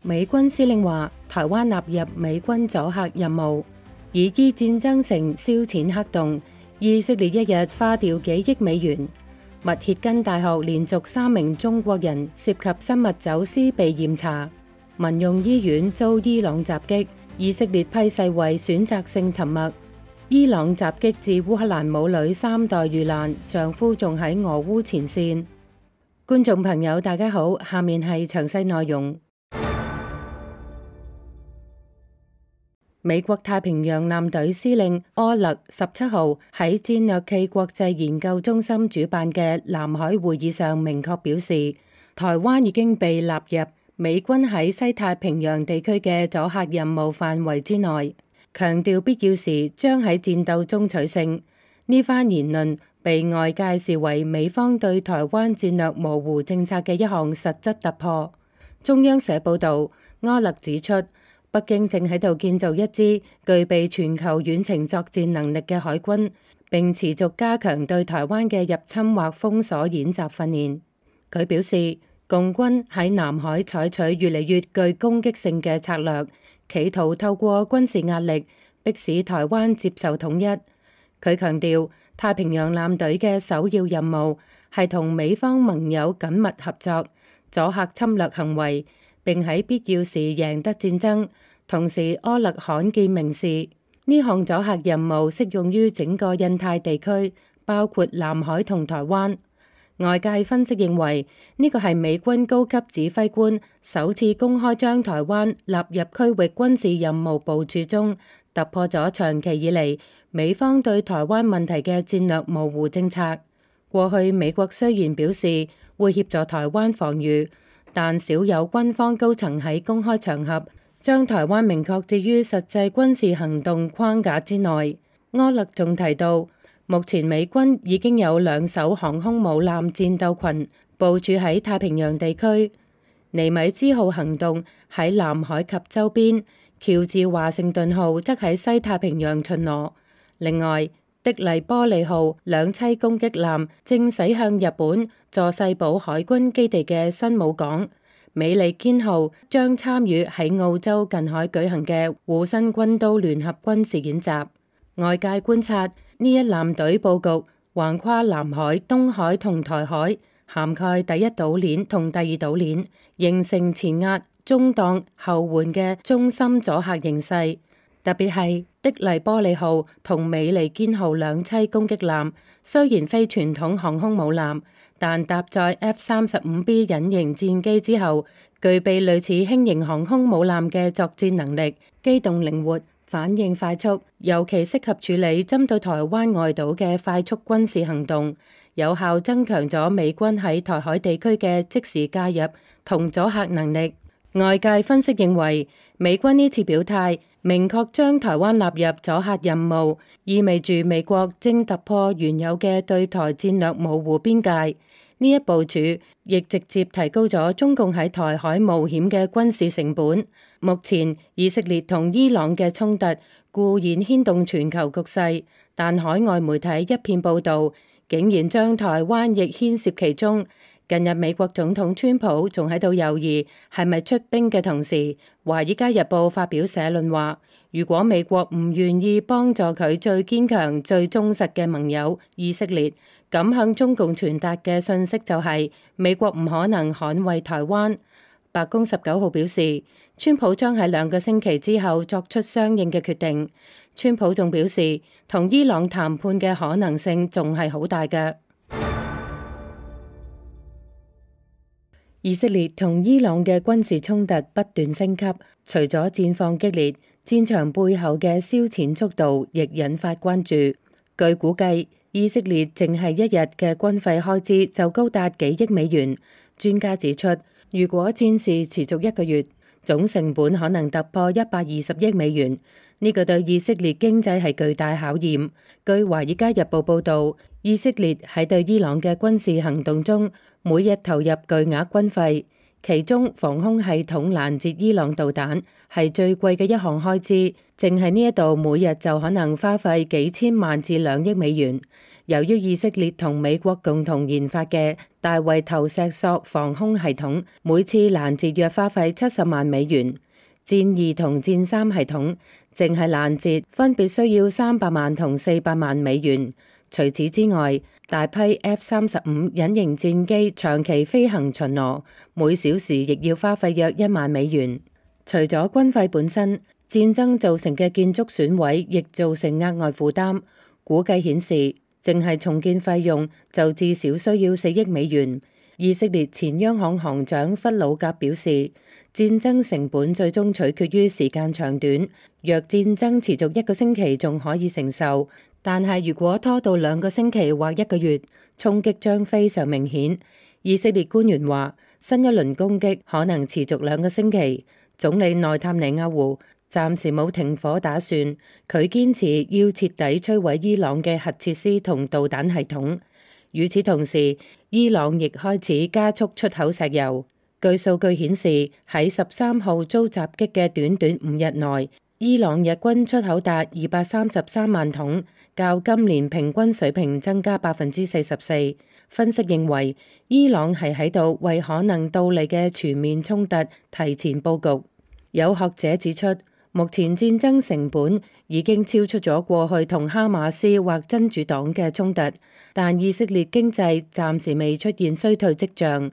美軍司令話，台灣納入美軍阻嚇任務，以伊戰爭成燒錢黑洞。以色列一日花掉幾億美元。密歇根大學連續3名中國人涉及生物走私被驗查。民用醫院遭伊朗襲擊，以色列批世衛選擇性沉默。伊朗襲擊致烏克蘭母女3代遇難，丈夫仲喺俄烏前線。觀眾朋友大家好，下面係詳細內容。美國太平洋艦隊司令柯勒17號喺戰略暨國際研究中心主辦嘅南海會議上明確表示，台灣已經被納入美軍喺西太平洋地區嘅阻嚇任務範圍之內，強調必要時將喺戰鬥中取勝。呢番言論被外界視為美方對台灣戰略模糊政策嘅一項實質突破。中央社報導，柯勒指出，北京正喺度建造一支具備全球遠程作戰能力嘅海軍，並持續加強對台灣嘅入侵或封鎖演習訓練。佢表示，共軍喺南海採取越嚟越具攻擊性嘅策略，企圖透過軍事壓力迫使台灣接受統一。佢強調，太平洋艦隊嘅首要任務係同美方盟友緊密合作，阻嚇侵略行為，並喺必要時贏得戰爭。同時，柯勒罕見明示，呢項阻嚇任務適用於整個印太地區，包括南海同台灣。外界分析認為，呢個係美軍高級指揮官首次公開將台灣納入區域軍事任務部署中，突破咗長期以嚟美方對台灣問題嘅戰略模糊政策。過去美國雖然表示會協助台灣防禦，但少有軍方高層喺公開場合將台灣明確置於實際軍事行動框架之內。柯勒仲提到，目前美軍已經有2艘航空母艦戰鬥群部署喺太平洋地區，尼米茲號行動喺南海及周邊，喬治華盛頓號則喺西太平洋巡邏。另外，的黎波里號兩棲攻擊艦正駛向日本佐世保海軍基地嘅新武港。美利堅號將參與喺澳洲近海舉行嘅護身軍刀聯合軍事演習。外界觀察，呢一艦隊佈局橫跨南海、東海同台海，涵蓋第一島鏈同第二島鏈，形成前壓、中檔、後援嘅中心阻嚇形勢。特別係的黎波里號同美利堅號兩棲攻擊艦，雖然非傳統航空母艦，但搭載 F-35B 隱形戰機之後，具備類似輕型航空母艦嘅作戰能力，機動靈活，反應快速，尤其適合處理針對台灣外島嘅快速軍事行動，有效增強咗美軍喺台海地區嘅即時介入同阻嚇能力。外界分析認為，美軍呢次表態明確將台灣納入阻嚇任務，意味住美國正突破原有嘅對台戰略模糊邊界。呢一部署亦直接提高咗中共喺台海冒險嘅軍事成本。目前以色列同伊朗嘅衝突固然牽動全球局勢，但海外媒體一片報導，竟然將台灣亦牽涉其中。近日美國總統川普仲喺度猶豫係咪出兵嘅同時，《華爾街日報》發表社論話，如果美國唔願意幫助佢最堅強、最忠實嘅盟友以色列，咁向中共傳達嘅訊息就係美國唔可能捍衛台灣。白宮19號表示，川普將喺2個星期之後作出相應嘅決定。川普仲表示，同伊朗談判嘅可能性仲係好大嘅。以色列同伊朗嘅軍事衝突不斷升級，除咗戰況激烈，戰場背後嘅燒錢速度亦引發關注。據估計，以色列淨係一日嘅軍費開支就高達幾億美元。專家指出，如果戰事持續1個月，總成本可能突破120億美元。呢個對以色列經濟係巨大考驗。據《華爾街日報》報導，以色列喺對伊朗嘅軍事行動中，每日投入巨額軍費，其中防空系統攔截伊朗導彈係最貴嘅一項開支，淨係呢一度每日就可能花費幾千萬至2億美元。由於以色列同美國共同研發嘅大衛投石索防空系統，每次攔截約花費70萬美元。戰2同戰3系統淨係攔截分別需要300萬同400萬美元。除此之外，大批 F-35隱形戰機長期飛行巡邏，每小時亦要花費約1萬美元。除咗軍費本身，戰爭造成嘅建築損毀亦造成額外負擔。估計顯示，淨係重建費用就至少需要4億美元。以色列前央行行長弗魯格表示，戰爭成本最終取決於時間長短。若戰爭持續1個星期仲可以承受，但係如果拖到2個星期或1個月，衝擊將非常明顯。以色列官員話，新一輪攻擊可能持續2個星期。總理內塔尼亞胡暫時冇停火打算，佢堅持要徹底摧毀伊朗嘅核設施同導彈系統。與此同時，伊朗亦開始加速出口石油。據數據顯示，喺13號遭襲擊嘅短短5日內，伊朗日均出口達233萬桶，較今年平均水平增加44%。分析認為，伊朗係喺度為可能到嚟嘅全面衝突提前佈局。有學者指出，目前戰爭成本已經超出咗過去同哈馬斯或真主黨嘅衝突，但以色列經濟暫時未出現衰退跡象。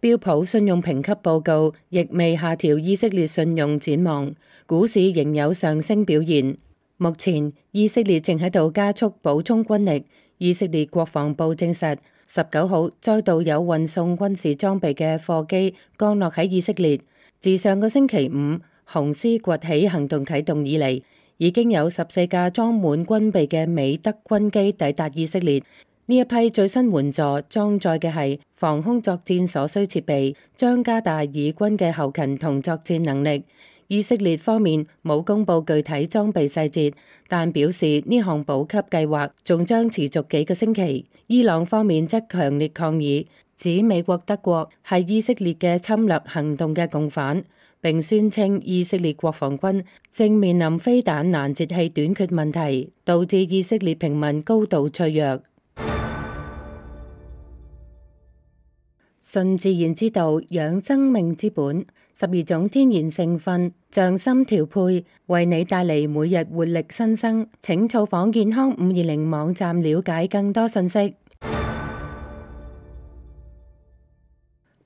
標普信用評級報告亦未下調以色列信用展望，股市仍有上升表現。目前以色列正喺度加速補充軍力。以色列國防部證實，19號再度有運送軍事裝備嘅貨機降落喺以色列。自上個星期五紅絲崛起行動啟動以嚟，已經有14架裝滿軍備嘅美德軍機抵達以色列。呢一批最新援助裝載嘅係防空作戰所需設備，將加大以軍嘅後勤同作戰能力。以色列方面冇公布具體裝備細節，但表示呢項補給計劃仲將持續幾個星期。伊朗方面則強烈抗議，指美國、德國係以色列嘅侵略行動嘅共犯，並宣稱以色列國防軍正面臨飛彈攔截器短缺問題，導致以色列平民高度脆弱。順自然之道，養生命之本，12種天然成分，匠心調配，為你帶嚟每日活力新生。請造訪健康520網站了解更多信息。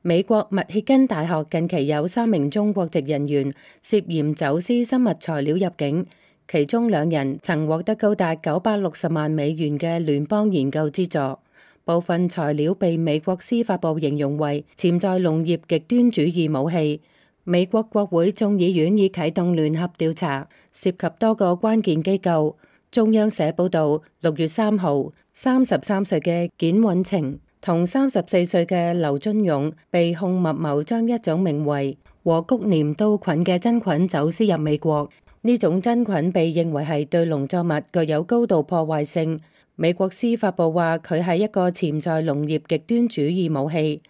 美國密歇根大學近期有3名中國籍人員涉嫌走私生物材料入境，其中2人曾獲得高達960萬美元嘅聯邦研究資助。部分材料被美國司法部形容為潛在農業極端主義武器。美國國會眾議院已啟動聯合調查，涉及多個關鍵機構。中央社報道，6月3號，33歲嘅簡允晴同34歲嘅劉津勇被控密謀將一種名為和谷黏刀菌嘅真菌走私入美國。呢種真菌被認為係對農作物具有高度破壞性。美國司法部話佢係一個潛在農業極端主義武器。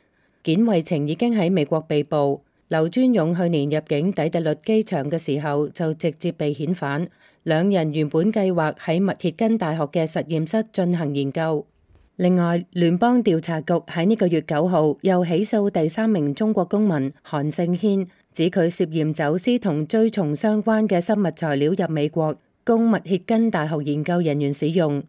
簡惠晴已經喺美國被捕。劉尊勇去年入境底特律機場嘅時候就直接被遣返。2人原本計劃喺密歇根大學嘅實驗室進行研究。另外，聯邦調查局喺呢個月9號又起訴第3名中國公民韓勝軒，指佢涉嫌走私同蛆蟲相關嘅生物材料入美國，供密歇根大學研究人員使用。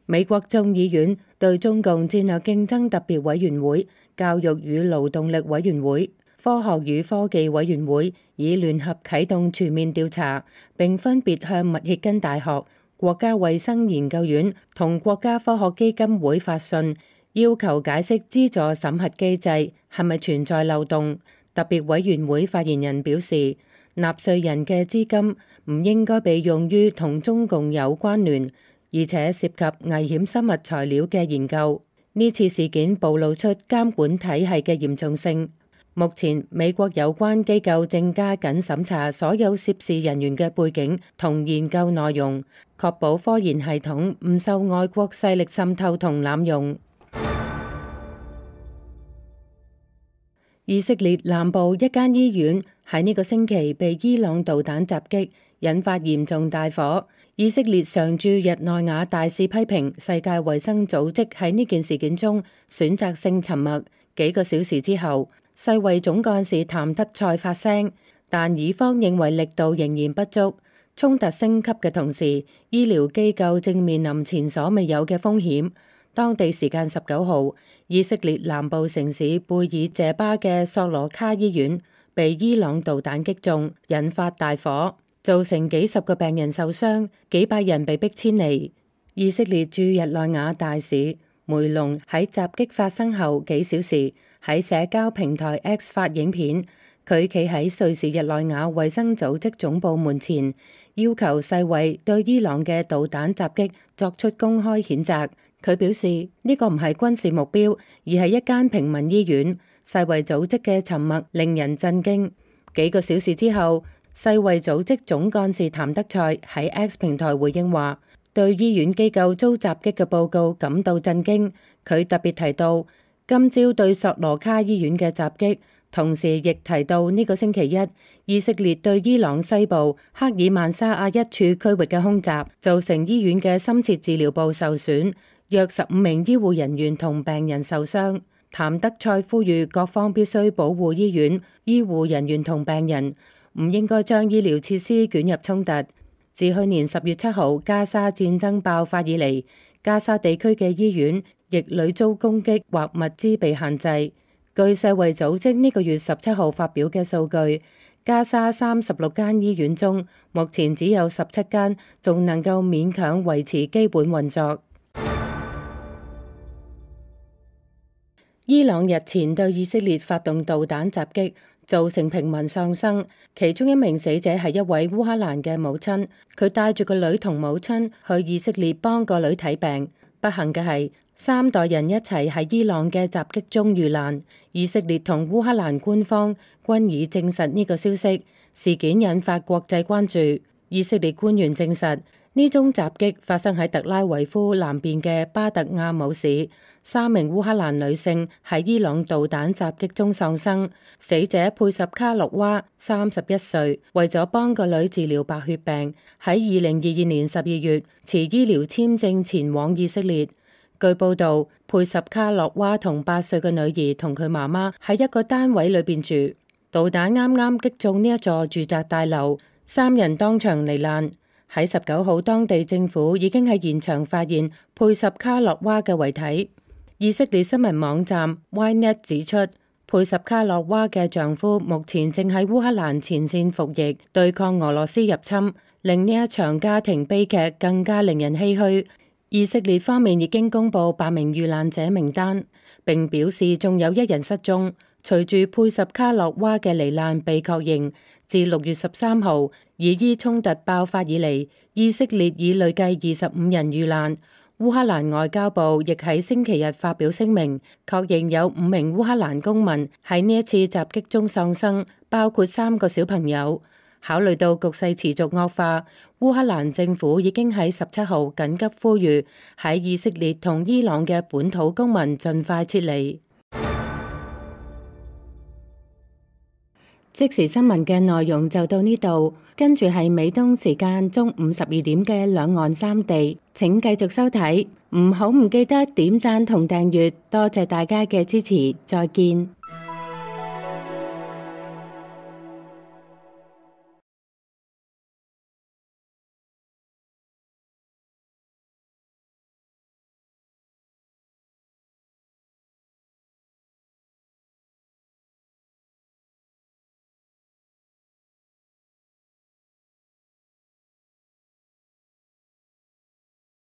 美國眾議院對中共戰略競爭特別委員會、教育與勞動力委員會、科學與科技委員會已聯合啟動全面調查，並分別向密歇根大學、國家衛生研究院同國家科學基金會發信，要求解釋資助審核機制係咪存在漏洞。特別委員會發言人表示，納稅人嘅資金唔應該被用於同中共有關聯而且涉及危險生物材料嘅研究。呢次事件暴露出監管體系嘅嚴重性。目前美國有關機構正加緊審查所有涉事人員嘅背景同研究內容，確保科研系統唔受外國勢力滲透同濫用。以色列南部一間醫院喺呢個星期被伊朗導彈襲擊，引發嚴重大火。以色列常駐日內瓦大使批評世界衛生組織喺呢件事件中選擇性沉默。幾個小時之後，世衛總幹事譚德塞發聲，但以方認為力度仍然不足。衝突升級嘅同時，醫療機構正面臨前所未有嘅風險。當地時間19號，以色列南部城市貝爾謝巴嘅索羅卡醫院被伊朗導彈擊中，引發大火，造成幾十個病人受傷，幾百人被迫遷離。以色列駐日內瓦大使梅隆喺襲擊發生後幾小時喺社交平台 X 發影片，佢企喺瑞士日內瓦衛生組織總部門前，要求世衛對伊朗嘅導彈襲擊作出公開譴責。佢表示呢個唔係軍事目標，而係一間平民醫院。世衛組織嘅沉默令人震驚。幾個小時之後，世衛組織總幹事譚德塞喺 X 平台回應話，對醫院機構遭襲擊嘅報告感到震驚。佢特別提到今朝對索羅卡醫院嘅襲擊，同時亦提到呢個星期一以色列對伊朗西部克爾曼沙亞一處區域嘅空襲，造成醫院嘅深切治療部受損，約15名醫護人員同病人受傷。譚德塞呼籲各方必須保護醫院、醫護人員同病人，唔應該將醫療設施捲入衝突。自去年10月7號加沙戰爭爆發以嚟，加沙地區嘅醫院亦屢遭攻擊或物資被限制。據世衛組織呢個月17號發表嘅數據，加沙36間醫院中，目前只有17間仲能夠勉強維持基本運作。伊朗日前對以色列發動導彈襲擊，造成平民喪生，其中一名死者係一位烏克蘭嘅母親，佢帶住個女同母親去以色列幫個女睇病。不幸嘅係，3代人一齊喺伊朗嘅襲擊中遇難。以色列同烏克蘭官方均已證實呢個消息，事件引發國際關注。以色列官員證實，呢宗襲擊發生喺特拉維夫南邊嘅巴特亞姆市。3名烏克蘭女性喺伊朗導彈襲擊中喪生，死者佩什卡洛娃31歲，為咗幫個女治療白血病，喺2022年12月持醫療簽證前往以色列。據報道，佩什卡洛娃同8歲嘅女兒同佢媽媽喺一個單位裏邊住，導彈啱啱擊中呢一座住宅大樓，3人當場罹難。喺19號，當地政府已經喺現場發現佩什卡洛娃嘅遺體。以色列新聞網站 Ynet 指出，佩什卡洛娃嘅丈夫目前正喺烏克蘭前線服役，對抗俄羅斯入侵，令呢一場家庭悲劇更加令人唏噓。以色列方面已經公布8名遇難者名單，並表示仲有1人失蹤。隨住佩什卡洛娃嘅罹難被確認，自6月13號以伊衝突爆發以嚟，以色列已累計25人遇難。烏克蘭外交部亦喺星期日發表聲明，確認有5名烏克蘭公民喺呢一次襲擊中喪生，包括3個小朋友。考慮到局勢持續惡化，烏克蘭政府已經喺17號緊急呼籲喺以色列同伊朗嘅本土公民盡快撤離。即時新聞嘅內容就到呢度，跟住係美東時間中午12點嘅兩岸三地，請繼續收睇，唔記得點讚同訂閱，多謝大家嘅支持，再見。